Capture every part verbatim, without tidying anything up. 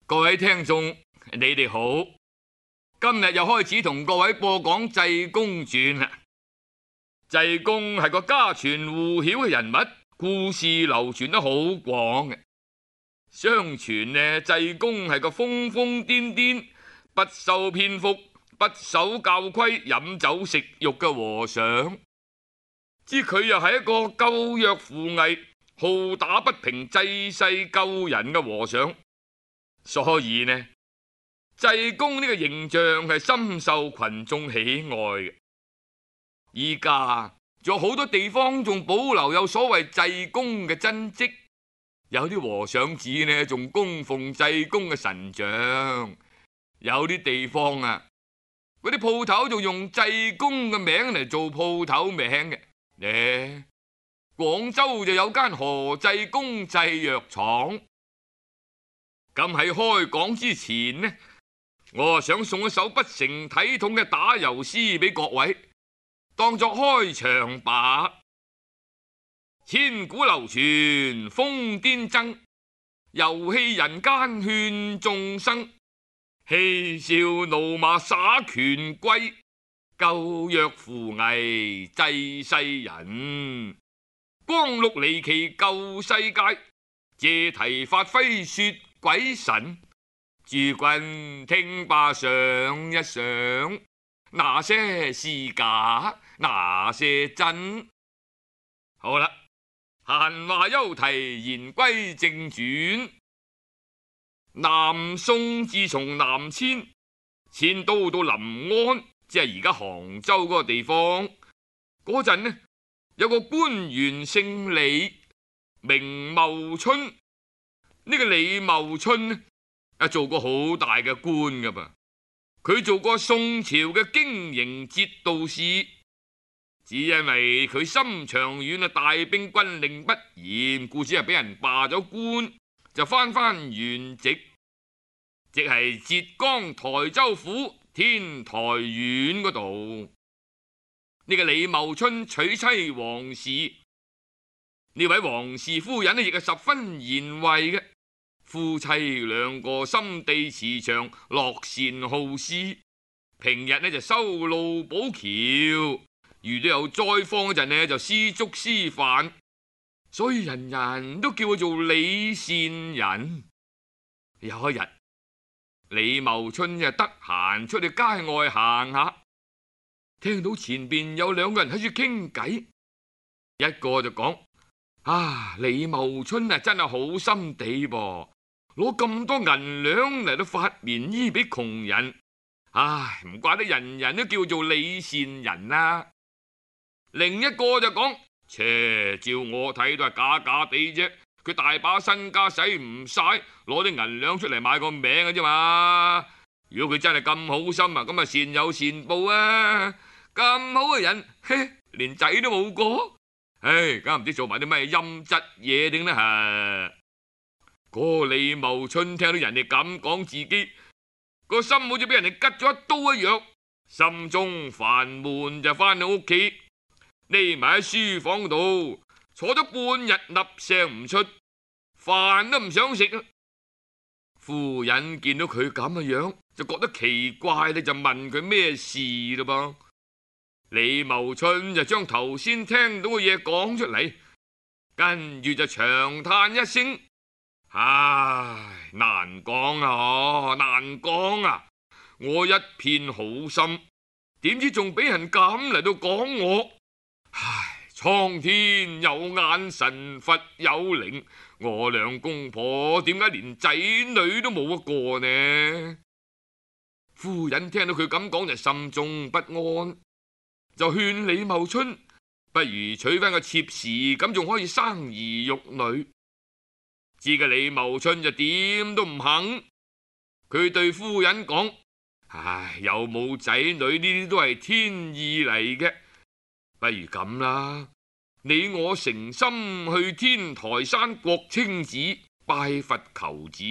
各位聽眾，你哋好！今日又開始同各位播講《濟公傳》啦。濟公係個家傳戶曉嘅人物，故事流傳得好廣嘅。相傳呢，濟公係個瘋瘋癲癲、不修邊幅、不守教規、飲酒食肉嘅和尚。知佢又係一個救弱扶危、好打不平、濟世救人嘅和尚。所以呢，濟公呢個形象係深受群眾喜愛嘅。依家仲有好多地方仲保留有所謂濟公嘅真跡，有啲和尚寺呢仲供奉濟公嘅神像，有啲地方啊，嗰啲鋪頭仲用濟公嘅名嚟做鋪頭名嘅。呢，廣州就有間何濟公製藥廠。咁喺開講之前呢，我想送一首不成體統嘅打油詩俾各位，當作開場白。千古流傳瘋癲僧，遊戲人間勸眾生，嬉笑怒罵耍權貴，救弱扶危濟世人，光祿離奇救世界，借題發揮說鬼神，諸君聽罷想一想，那些是假，那些真。好啦，閒話休提，言歸正傳。南宋自從南遷，遷都到臨安，即係而家杭州嗰個地方。嗰陣呢，有個官員姓李，名茂春。呢個李茂春呢，啊做過好大嘅官噶噃。佢做過宋朝嘅經營節度使，只因為佢心腸軟啊，大兵軍令不嚴，故此係俾人罷咗官，就翻翻原籍，即係浙江台州府天台縣嗰度。呢個李茂春娶妻王氏，呢位王氏夫人呢亦係十分賢惠嘅。夫妻兩個心地慈祥，樂善好施，平日呢就修路補橋，遇到有災荒嗰陣呢就施粥施飯，所以人人都叫佢做李善人。有一日，李茂春就得閒出去街外行下，聽到前邊有兩個人喺度傾偈，一個就講：啊，李茂春啊真係好心地噃，攞咁多銀兩嚟到發棉衣俾窮人，唉，唔怪得人人都叫做李善人啦。另一個就講：切，照我睇都係假假地啫，佢大把身家使唔晒，攞啲銀兩出嚟買個名嘅啫嘛。如果佢真係咁好心啊，咁啊善有善報啊！咁好嘅人，嘿，連仔都冇過，唉，梗係唔知做埋啲咩陰質嘢定呢吓。嗰個李茂春聽到人哋咁講自己，個心好似俾人哋拮咗一刀一樣，心中煩悶，就翻到屋企，匿埋喺書房度坐咗半日，粒聲唔出，飯都唔想食啊。夫人見到佢咁嘅樣，就覺得奇怪，你就問佢咩事嘞噃。李茂春就將頭先聽到嘅嘢講出嚟，跟住就長嘆一聲：唉，難講啊，難講啊！我一片好心，點知仲俾人咁嚟到講我？唉，蒼天有眼，神佛有靈，我兩公婆點解連仔女都冇一個呢？夫人聽到佢咁講就心中不安，就勸李茂春不如娶翻個妾侍，咁仲可以生兒育女。知嘅李茂春就點都唔肯，佢對夫人講：唉，有冇仔女呢啲都係天意嚟嘅，不如咁啦，你我誠心去天台山國清寺拜佛求子，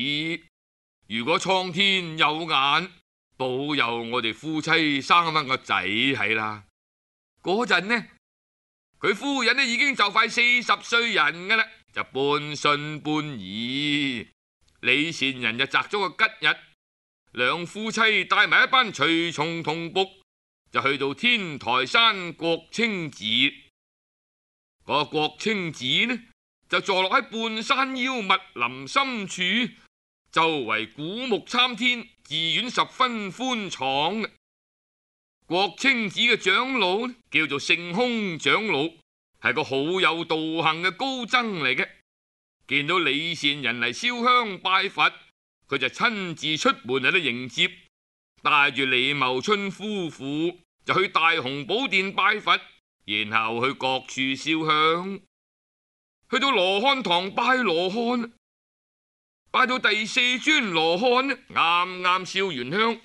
如果蒼天有眼，保佑我哋夫妻生翻個仔係啦。嗰陣呢，佢夫人呢已經就快四十歲人噶啦，就半信半疑。李善人就擇咗個吉日，兩夫妻帶埋一班隨從同僕，就去到天台山國清寺。個國清寺呢，就坐落喺半山腰密林深處，周圍古木參天，寺院十分寬敞。國清寺嘅長老呢，叫做聖空長老，係個好有道行嘅高僧嚟嘅。見到李善人嚟燒香拜佛，佢就親自出門喺度迎接，帶住李茂春夫婦就去大雄寶殿拜佛，然後去各處燒香。去到羅漢堂拜羅漢，拜到第四尊羅漢，啱啱燒完香，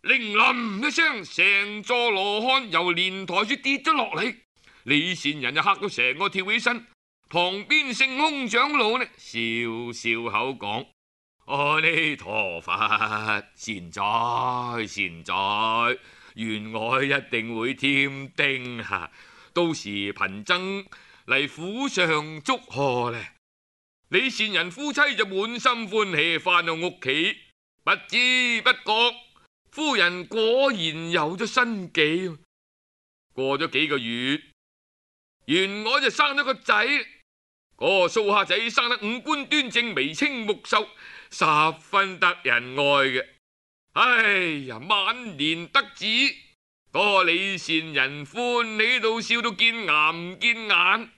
鈴冧一聲，成座羅漢由蓮台處跌咗落嚟。李善人就嚇到成個跳起身，旁邊聖空長老呢，笑笑口講：阿彌陀佛，善哉善哉，願我一定會添丁啊！到時貧僧嚟府上祝賀呢。李善人夫妻就滿心歡喜返到屋企，不知不覺夫人果然有咗身紀。過咗幾個月，原來就生咗個仔。嗰個蘇蝦仔生得五官端正，眉清目秀，十分得人愛嘅。哎呀，晚年得子，嗰個李善人歡喜到笑到見牙唔見眼。